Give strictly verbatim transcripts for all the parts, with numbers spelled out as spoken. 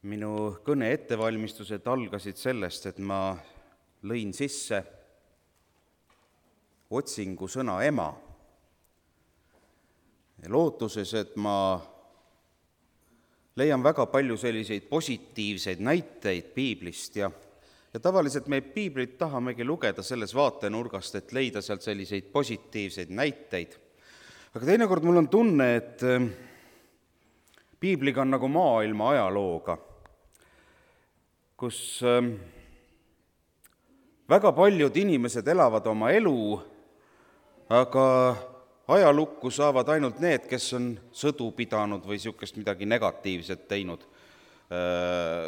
Minu kõne ettevalmistused algasid sellest, et ma lõin sisse otsingu sõna ema, lootuses, et ma leian väga palju selliseid positiivseid näiteid piiblist ja, ja tavaliselt me piiblit tahamegi lugeda selles vaatenurgast, et leida sealt selliseid positiivseid näiteid. Aga teinekord mul on tunne, et piibliga on nagu maailma ajalooga, kus väga paljud inimesed elavad oma elu, aga ajalukku saavad ainult need, kes on sõdu pidanud või niisugust midagi negatiivset teinud,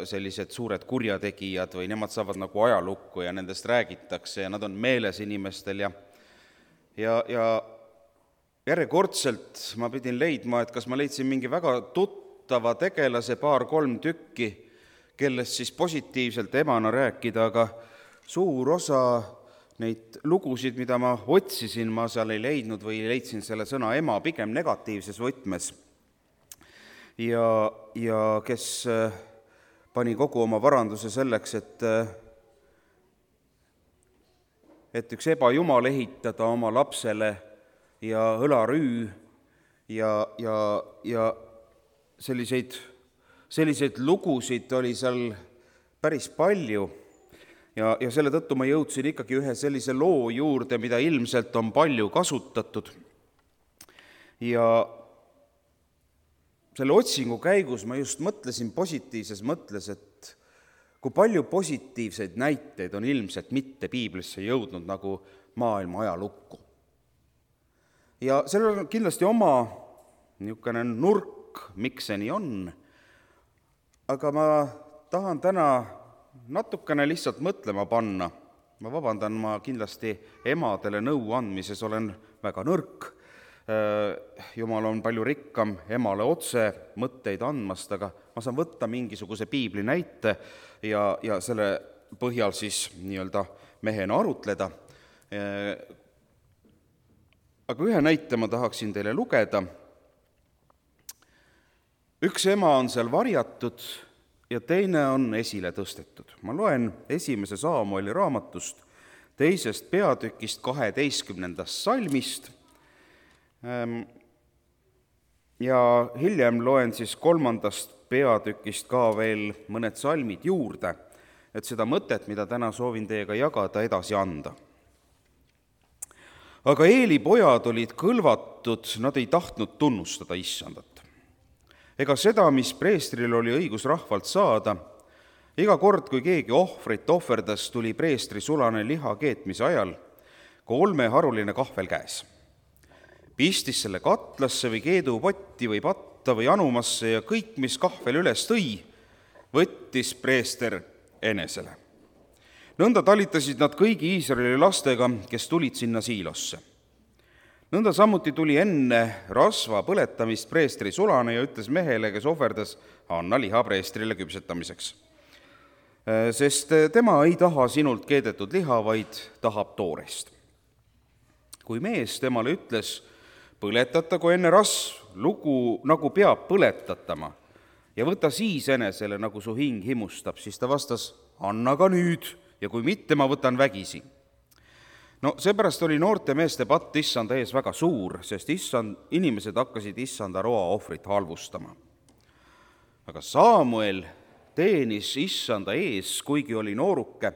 sellised suured kurjategijad või nemad saavad nagu ajalukku ja nendest räägitakse ja nad on meeles inimestel ja, ja, ja järjekordselt ma pidin leidma, et kas ma leidsin mingi väga tuttava tegelase paar-kolm tükki, kellest siis positiivselt emana rääkida, aga suur osa neid lugusid, mida ma otsisin, ma seal ei leidnud või leidsin selle sõna ema pigem negatiivses võtmes. Ja, ja kes pani kogu oma varanduse selleks, et, et üks ebajumal ehitada oma lapsele ja õlarüü ja, ja, ja selliseid, selliseid lugusid oli seal päris palju. Ja, ja selle tõttu ma jõudsin ikkagi ühe sellise loo juurde, mida ilmselt on palju kasutatud. Ja selle otsingu käigus ma just mõtlesin positiivses mõtles, et kui palju positiivseid näiteid on ilmselt mitte piiblisse jõudnud nagu maailma ajalukku. Ja sellel on kindlasti oma niisugune nurk, miks see nii on, aga ma tahan täna natukene lihtsalt mõtlema panna. Ma vabandan, ma kindlasti emadele nõu andmises olen väga nõrk. Jumal on palju rikkam emale otse mõtteid andmast, aga ma saan võtta mingisuguse piibli näite ja, ja selle põhjal siis nii-öelda mehena arutleda. Aga ühe näite ma tahaksin teile lugeda. Üks ema on seal varjatud ja teine on esile tõstetud. Ma loen esimese Saamueli raamatust, teisest peatükist, kaheteistkümnendast salmist ja hiljem loen siis kolmandast peatükist ka veel mõned salmid juurde, et seda mõtet, mida täna soovin teiega jagada, edasi anda. Aga Eeli pojad olid kõlvatud, nad ei tahtnud tunnustada issandat. Ega seda, mis preestril oli õigus rahvalt saada, iga kord, kui keegi ohvrit ohverdas, tuli preestri sulane liha keetmise ajal kolme haruline kahvel käes. Pistis selle katlasse või keedupotti või patta või anumasse ja kõik, mis kahvel üles tõi, võttis preester enesele. Nõnda talitasid nad kõigi Iisraeli lastega, kes tulid sinna siilosse. Nõnda samuti tuli enne rasva põletamist preestri sulane ja ütles mehele, kes ohverdas, anna liha preestrile küpsetamiseks. Sest tema ei taha sinult keedetud liha, vaid tahab toorest. Kui mees temale ütles, põletatagu enne rasv, lugu nagu peab põletatama ja võta siis enesele, nagu su hing himustab, siis ta vastas, anna ka nüüd ja kui mitte, ma võtan vägisi. No seepärast oli noorte meeste patt issanda ees väga suur, sest issand, inimesed hakkasid issanda roa ohvrit halvustama. Aga Saamuel teenis issanda ees, kuigi oli nooruke,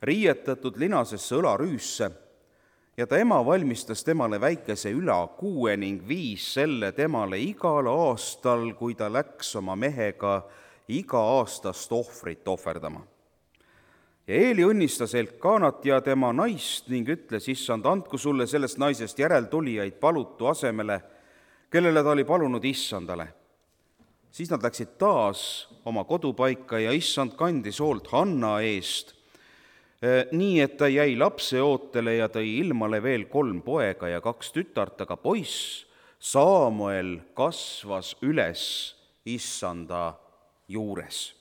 riietatud linasesse õlarüüsse ja ta ema valmistas temale väikese ülakuue ning viis selle temale igal aastal, kui ta läks oma mehega iga aastast ohvrit ohverdama. Ja Eeli õnnistas Elkanat ja tema naist ning ütles, issand, andku sulle sellest naisest järeltulijaid palutu asemele, kellele ta oli palunud issandale. Siis nad läksid taas oma kodupaika ja issand kandis hoolt Hanna eest, nii et ta jäi lapse ootele ja tõi ilmale veel kolm poega ja kaks tütart, aga poiss Saamuel kasvas üles issanda juures.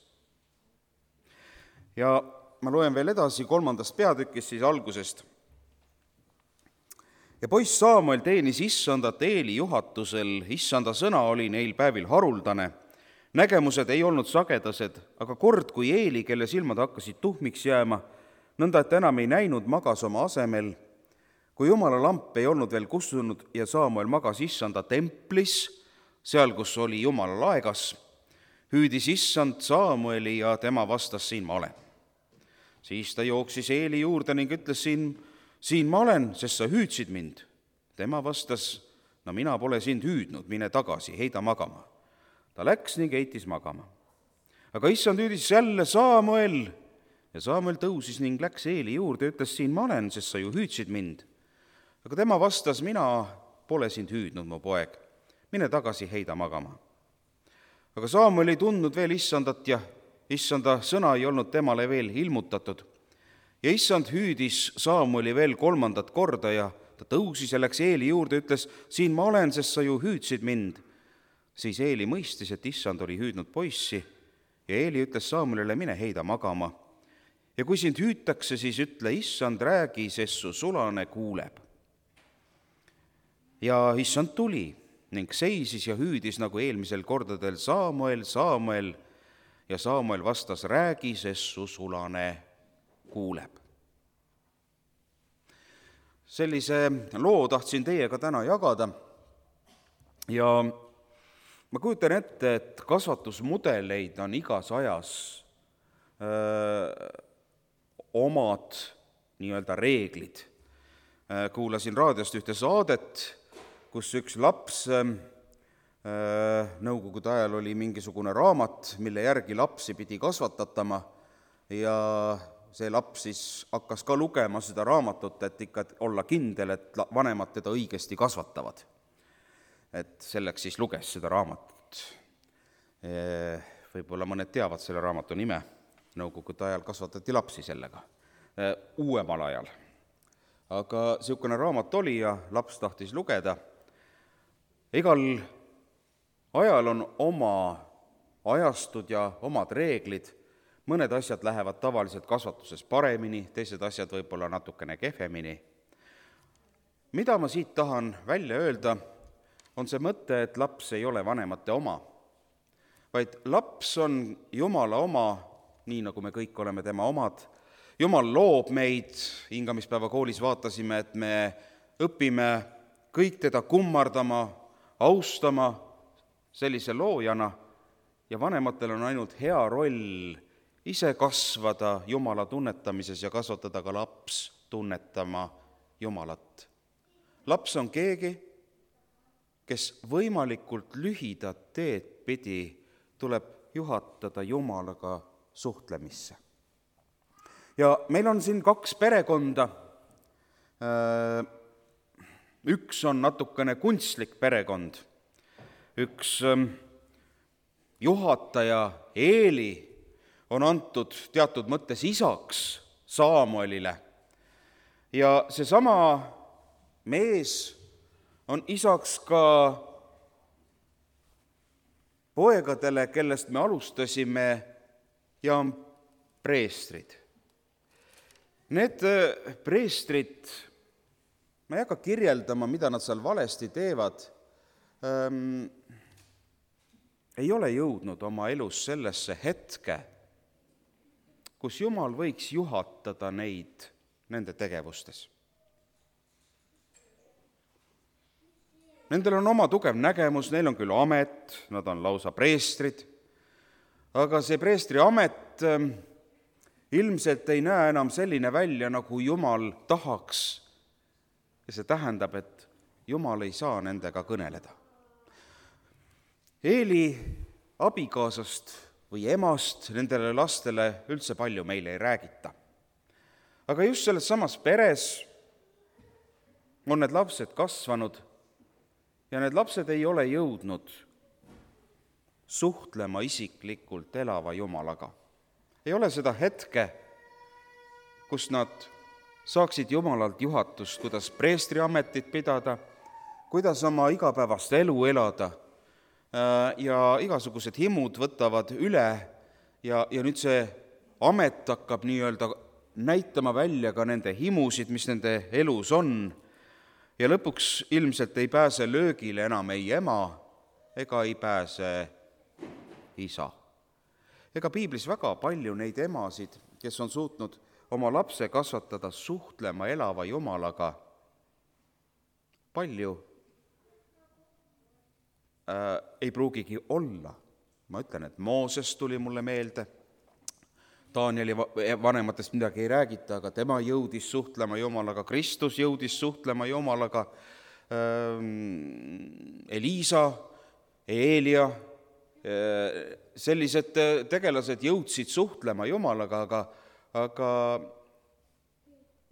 Ja ma loen veel edasi kolmandast peatükist siis algusest. Ja poiss Saamuel teenis issandat Eeli juhatusel, issanda sõna oli neil päevil haruldane nägemused ei olnud sagedased, aga kord, kui Eeli, kelle silmad hakkasid tuhmiks jääma, nõnda, et enam ei näinud, magas oma asemel, kui Jumala lamp ei olnud veel kustunud ja Saamuel magas issanda templis, seal, kus oli Jumala laegas, hüüdis issand Saamueli ja tema vastas, siin ma olen. Siis ta jooksis Eeli juurde ning ütles, siin, siin ma olen, sest sa hüüdsid mind. Tema vastas, no mina pole sind hüüdnud, mine tagasi, heida magama. Ta läks ning heitis magama. Aga issand hüüdis jälle Saamuel ja Saamuel tõusis ning läks Eeli juurde ja ütles, siin ma olen, sest sa ju hüüdsid mind. Aga tema vastas, mina pole sind hüüdnud, mu poeg, mine tagasi, heida magama. Aga Saamuel ei tundnud veel issandat ja issanda sõna ei olnud temale veel ilmutatud. Ja issand hüüdis Saamueli veel kolmandat korda ja ta tõusis ja läks Eeli juurde ja ütles, siin ma olen, sest sa ju hüüdsid mind. Siis Eeli mõistis, et issand oli hüüdnud poissi ja Eeli ütles Saamuelile, mine heida magama. Ja kui sind hüütakse, siis ütle, issand, räägi, sest su sulane kuuleb. Ja issand tuli ning seisis ja hüüdis nagu eelmisel kordadel Saamuel, Saamuel, ja Saamuel vastas, räägi, sest su sulane kuuleb. Sellise loo tahtsin teiega täna jagada ja ma kujutan ette, et kasvatusmudeleid on igas ajas öö, omad nii-öelda reeglid. Kuulasin raadiost ühte saadet, kus üks laps, nõukogude ajal oli mingisugune raamat, mille järgi lapsi pidi kasvatatama ja see laps siis hakkas ka lugema seda raamatut, et ikka olla kindel, et vanemad teda õigesti kasvatavad. Et selleks siis luges seda raamatut. Võib-olla mõned teavad selle raamatu nime, nõukogude ajal kasvatati lapsi sellega, uuemal ajal. Aga niisugune raamat oli ja laps tahtis lugeda. Igal ajal on oma ajastud ja omad reeglid. Mõned asjad lähevad tavaliselt kasvatuses paremini, teised asjad võib-olla natukene kehvemini. Mida ma siit tahan välja öelda, on see mõte, et laps ei ole vanemate oma, vaid laps on Jumala oma, nii nagu me kõik oleme tema omad. Jumal loob meid, hingamispäeva koolis vaatasime, et me õpime kõik teda kummardama, austama sellise loojana ja vanematel on ainult hea roll ise kasvada Jumala tunnetamises ja kasvatada ka laps tunnetama Jumalat. Laps on keegi, kes võimalikult lühidat teed pidi tuleb juhatada Jumalaga suhtlemisse. Ja meil on siin kaks perekonda. Üks on natukene kunstlik perekond. Üks juhataja Eeli on antud teatud mõttes isaks Saamuelile. Ja seesama mees on isaks ka poegadele, kellest me alustasime, ja on preestrid. Need preestrid, ma ei hakka kirjeldama, mida nad seal valesti teevad, ähm, ei ole jõudnud oma elus sellesse hetke, kus Jumal võiks juhatada neid nende tegevustes. Nendel on oma tugev nägemus, neil on küll amet, nad on lausa preestrid, aga see preestri amet ähm, ilmselt ei näe enam selline välja, nagu Jumal tahaks. Ja see tähendab, et Jumal ei saa nendega kõneleda. Eeli abikaasast või emast nendele lastele üldse palju meile ei räägita. Aga just selles samas peres on need lapsed kasvanud ja need lapsed ei ole jõudnud suhtlema isiklikult elava Jumalaga. Ei ole seda hetke, kus nad saaksid Jumalalt juhatust, kuidas preestri ametit pidada, kuidas oma igapäevast elu elada ja igasugused himud võtavad üle ja, ja nüüd see amet hakkab nii-öelda näitama välja ka nende himusid, mis nende elus on ja lõpuks ilmselt ei pääse löögile enam ei ema ega ei pääse isa. Ega piiblis väga palju neid emasid, kes on suutnud oma lapse kasvatada suhtlema elava Jumalaga, palju äh, ei pruugigi olla. Ma ütlen, et Mooses tuli mulle meelde, Danieli vanematest midagi ei räägita, aga tema jõudis suhtlema Jumalaga, Kristus jõudis suhtlema Jumalaga, Eliisa, Eelia, sellised tegelased jõudsid suhtlema Jumalaga, aga, aga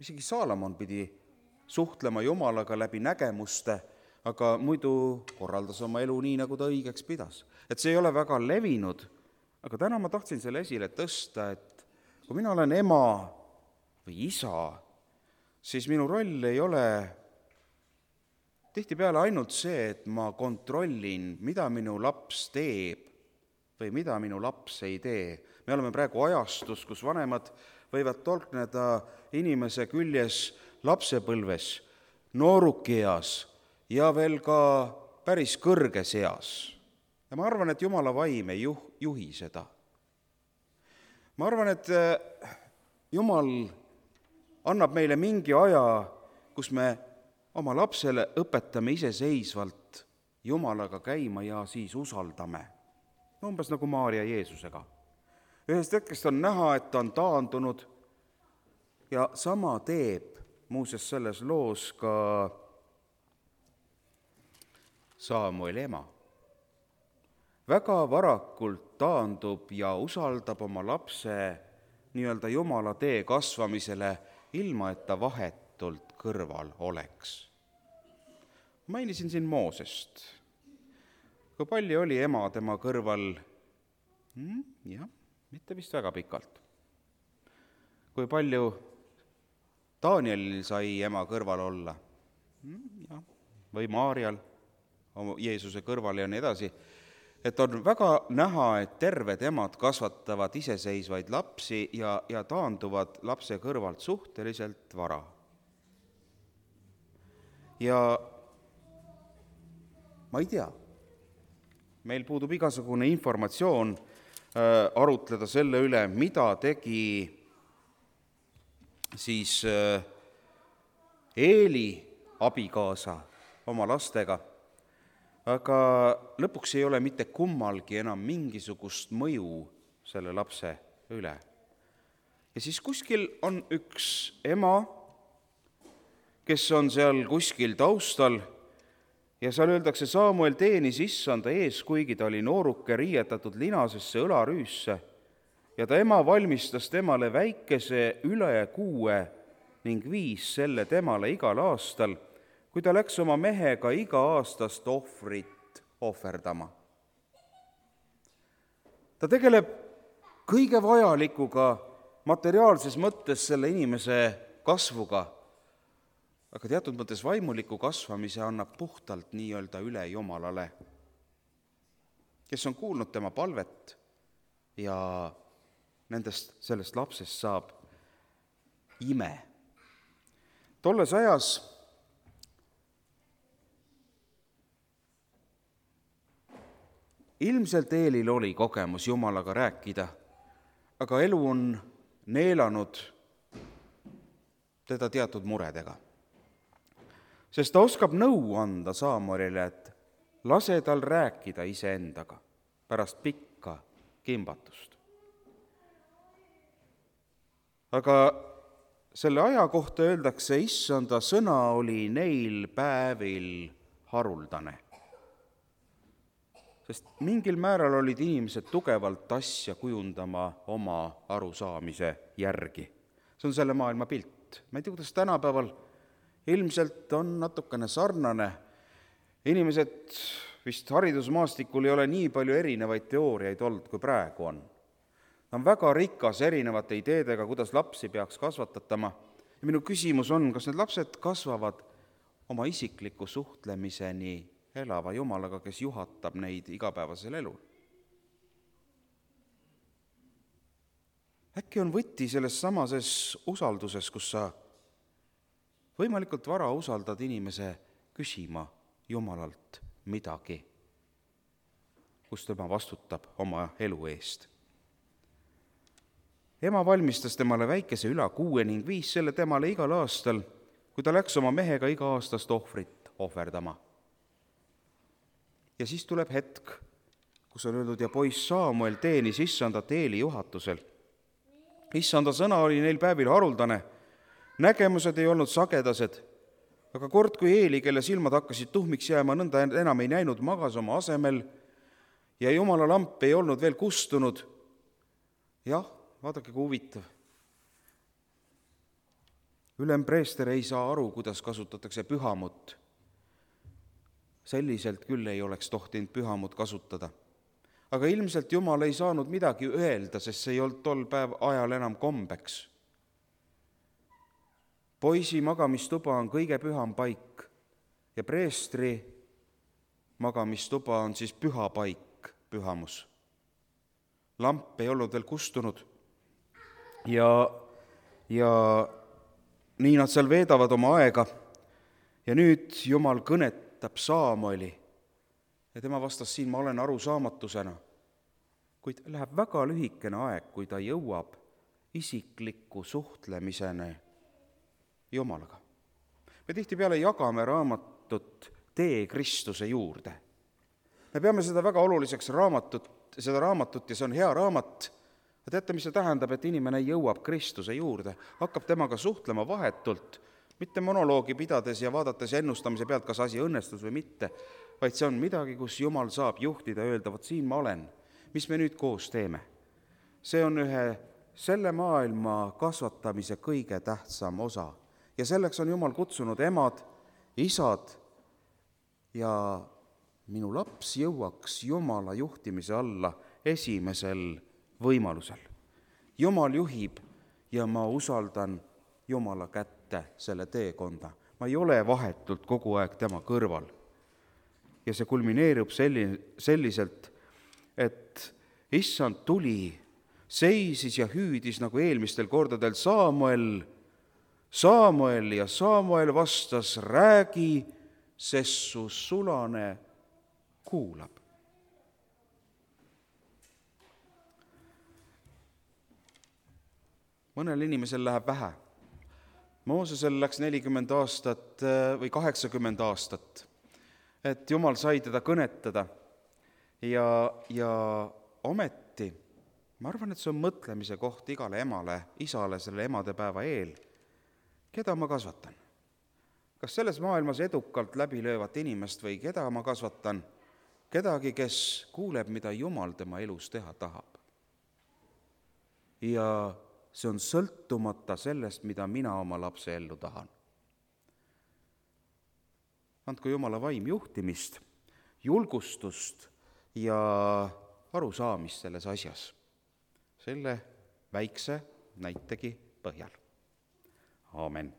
isegi Saalomon pidi suhtlema Jumalaga läbi nägemuste, aga muidu korraldas oma elu nii, nagu ta õigeks pidas. Et see ei ole väga levinud, aga täna ma tahtsin selle esile tõsta, et kui mina olen ema või isa, siis minu roll ei ole tihtipeale ainult see, et ma kontrollin, mida minu laps teeb või mida minu laps ei tee. Me oleme praegu ajastus, kus vanemad võivad tolkneda inimese küljes lapsepõlves, noorukieas ja veel ka päris kõrges eas. Ja ma arvan, et Jumala vaim ei juh, juhi seda. Ma arvan, et Jumal annab meile mingi aja, kus me oma lapsele õpetame iseseisvalt Jumalaga käima ja siis usaldame. Umbes nagu Maarja Jeesusega. Ühest hetkest on näha, et ta on taandunud ja sama teeb muuseas selles loos ka Saamueli ema. Väga varakult taandub ja usaldab oma lapse nii-öelda Jumala tee kasvamisele, ilma et ta vahetult kõrval oleks. Mainisin siin Moosest. Kui palju oli ema tema kõrval? Hmm, jah, mitte vist väga pikalt. Kui palju Danielil sai ema kõrval olla? Hmm, jah, või Maarjal Jeesuse kõrval ja nii edasi. Et on väga näha, et terved emad kasvatavad iseseisvaid lapsi ja, ja taanduvad lapse kõrvalt suhteliselt vara. Ja ma ei tea, meil puudub igasugune informatsioon äh, arutleda selle üle, mida tegi siis äh, Eeli abikaasa oma lastega, aga lõpuks ei ole mitte kummalgi enam mingisugust mõju selle lapse üle. Ja siis kuskil on üks ema, kes on seal kuskil taustal ja seal öeldakse, Saamuel teenis issanda ees, kuigi ta oli nooruke riietatud linasesse õlarüüsse ja ta ema valmistas temale väikese üle kuue ning viis selle temale igal aastal, kui ta läks oma mehega iga aastast ohvrit ohverdama. Ta tegeleb kõige vajalikuga materiaalses mõttes selle inimese kasvuga, aga teatud mõttes vaimuliku kasvamise annab puhtalt nii-öelda üle Jumalale, kes on kuulnud tema palvet ja nendest, sellest lapsest saab ime. Tolles ajas ilmselt Eelil oli kogemus Jumalaga rääkida, aga elu on neelanud teda teatud muredega. Sest ta oskab nõu anda Saamuelile, et lase tal rääkida iseendaga pärast pikka kimbatust. Aga selle aja kohta öeldakse, issanda sõna oli neil päevil haruldane. Sest mingil määral olid inimesed tugevalt asja kujundama oma arusaamise järgi. See on selle maailma pilt. Ma ei tea, kuidas tänapäeval ilmselt on natukene sarnane. Inimesed vist haridusmaastikul ei ole nii palju erinevaid teooriaid olnud, kui praegu on. Ta on väga rikas erinevate ideedega, kuidas lapsi peaks kasvatatama. Ja minu küsimus on, kas need lapsed kasvavad oma isikliku suhtlemiseni elava Jumalaga, kes juhatab neid igapäevasel elul. Äkki on võti selles samases usalduses, kus sa võimalikult vara usaldad inimese küsima Jumalalt midagi. kus tema vastutab oma elu eest. Ema valmistas temale väikese ülakuue ning viis selle temale igal aastal, kui ta läks oma mehega iga aastast ohvrit ohverdama. Ja siis tuleb hetk, kus on öeldud, ja poiss Saamuel teenis issandat Eeli juhatusel. Issanda sõna oli neil päevil haruldane, nägemused ei olnud sagedased, aga kord, kui Eeli, kelle silmad hakkasid tuhmiks jääma, nõnda enam ei näinud, magas oma asemel ja Jumala lamp ei olnud veel kustunud. Jah, vaadake, kui huvitav. Ülempreester ei saa aru, kuidas kasutatakse pühamut. Selliselt küll ei oleks tohtinud pühamut kasutada. Aga ilmselt Jumal ei saanud midagi öelda, sest see ei olnud tol päev ajal enam kombeks. Poisi magamistuba on kõige püham paik ja preestri magamistuba on siis püha paik, pühamus. Lamp ei olnud veel kustunud ja, ja nii nad seal veedavad oma aega ja nüüd Jumal kõnetab Saamueli ja tema vastas siin, ma olen arusaamatusena, kuid läheb väga lühikene aeg, kui ta jõuab isikliku suhtlemiseni Jumalaga. Me tihtipeale jagame raamatut Tee Kristuse juurde. Me peame seda väga oluliseks raamatut, seda raamatut ja see on hea raamat. Teate, mis see tähendab, et inimene jõuab Kristuse juurde, hakkab temaga suhtlema vahetult, mitte monoloogi pidades ja vaadates ennustamise pealt, kas asi õnnestus või mitte, vaid see on midagi, kus Jumal saab juhtida ja öelda, vot siin ma olen, mis me nüüd koos teeme. See on ühe selle maailma kasvatamise kõige tähtsam osa. Ja selleks on Jumal kutsunud emad, isad ja minu laps jõuaks Jumala juhtimise alla esimesel võimalusel. Jumal juhib ja ma usaldan Jumala kätte selle teekonda. Ma ei ole vahetult kogu aeg tema kõrval. Ja see kulmineerub selliselt, et issand tuli, seisis ja hüüdis nagu eelmistel kordadel Saamuel, Saamuel ja Saamuel vastas, räägi, sest su sulane kuulab. Mõnel inimesel läheb vähe. Moosesel läks nelikümmend aastat või kaheksakümmend aastat, et Jumal sai teda kõnetada ja, ja ometi, ma arvan, et see on mõtlemise koht igale emale, isale selle emadepäeva eel, keda ma kasvatan. Kas selles maailmas edukalt läbilöövat inimest või keda ma kasvatan, kedagi, kes kuuleb, mida Jumal tema elus teha tahab. Ja see on sõltumata sellest, mida mina oma lapse ellu tahan. Andku Jumala vaim juhtimist, julgustust ja arusaamist selles asjas, selle väikse näitegi põhjal. Aamen.